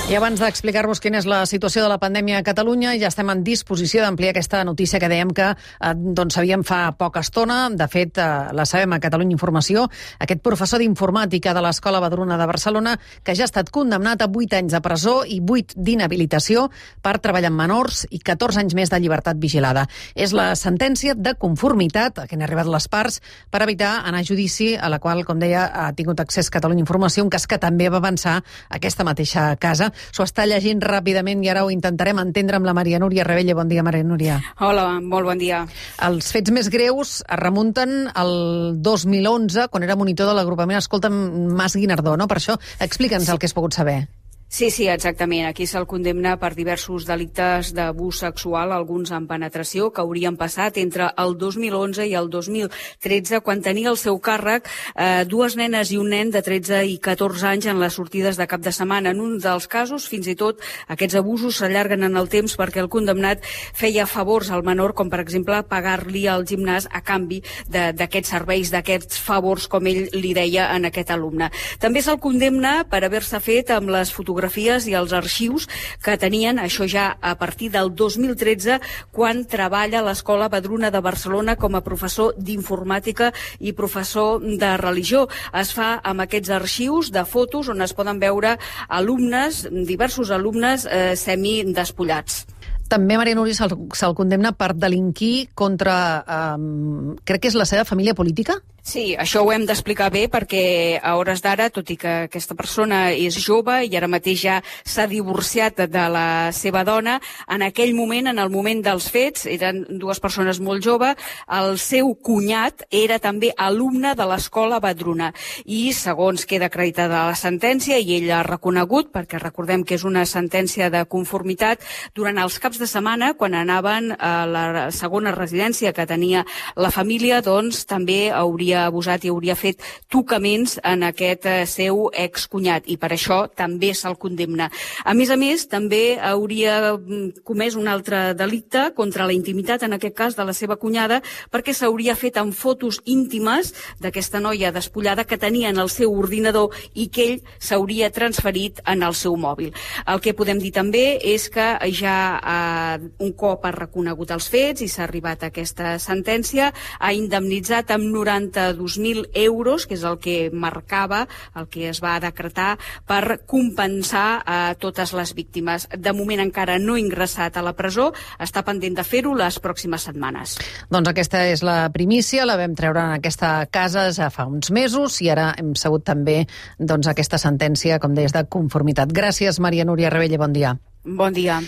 I abans d'explicar-vos quina és la situació de la pandèmia a Catalunya, ja estem en disposició d'ampliar aquesta notícia que dèiem que sabíem fa poca estona. De fet, la sabem a Catalunya Informació. Aquest professor d'informàtica de l'Escola Badruna de Barcelona, que ja ha estat condemnat a 8 anys de presó i 8 d'inhabilitació per treballar amb menors i 14 anys més de llibertat vigilada. És la sentència de conformitat a què han arribat les parts per evitar anar a judici, a la qual, com deia, ha tingut accés Catalunya Informació, un cas que també va avançar aquesta mateixa casa. S'ho està llegint ràpidament i ara ho intentarem entendre amb la Maria Núria Rebelle. Bon dia, Maria Núria. Hola, molt bon dia. Els fets més greus es remunten al 2011, quan era monitor de l'agrupament Escolta'm Mas Guinardó, no? Per això, explica'ns el que has pogut saber. Sí, exactament. Aquí se'l condemna per diversos delictes d'abús sexual, alguns amb penetració, que haurien passat entre el 2011 i el 2013, quan tenia al seu càrrec dues nenes i un nen de 13 i 14 anys en les sortides de cap de setmana. En un dels casos, fins i tot, aquests abusos s'allarguen en el temps perquè el condemnat feia favors al menor, com per exemple pagar-li al gimnàs a canvi d'aquests serveis, d'aquests favors, com ell li deia en aquest alumne. També se'l condemna per haver-se fet amb les fotografies i els arxius que tenien, això ja a partir del 2013, quan treballa a l'Escola Badruna de Barcelona com a professor d'informàtica i professor de religió. Es fa amb aquests arxius de fotos on es poden veure alumnes, diversos alumnes semidespullats. També, Maria Núria, se'l condemna per delinquir contra, crec que és la seva família política? Sí, això ho hem d'explicar bé perquè a hores d'ara, tot i que aquesta persona és jove i ara mateix ja s'ha divorciat de la seva dona, en aquell moment, en el moment dels fets, eren dues persones molt joves, el seu cunyat era també alumne de l'Escola Badruna i, segons queda acreditada la sentència, i ell ha reconegut, perquè recordem que és una sentència de conformitat, durant els caps de setmana, quan anaven a la segona residència que tenia la família, doncs també hauria abusat i hauria fet tocaments en aquest seu excunyat, i per això també se'l condemna. A més, també hauria comès un altre delicte contra la intimitat, en aquest cas de la seva cunyada, perquè s'hauria fet amb fotos íntimes d'aquesta noia despullada que tenia en el seu ordinador i que ell s'hauria transferit en el seu mòbil. El que podem dir també és que ja un cop ha reconegut els fets i s'ha arribat a aquesta sentència, ha indemnitzat amb 92.000 euros, que és el que marcava, el que es va decretar per compensar a totes les víctimes. De moment encara no ha ingressat a la presó, està pendent de fer-ho les pròximes setmanes. Doncs aquesta és la primícia, la vam treure en aquesta casa ja fa uns mesos i ara hem sabut també aquesta sentència, com deies, de conformitat. Gràcies, Maria Núria Rebelle, bon dia. Bon dia.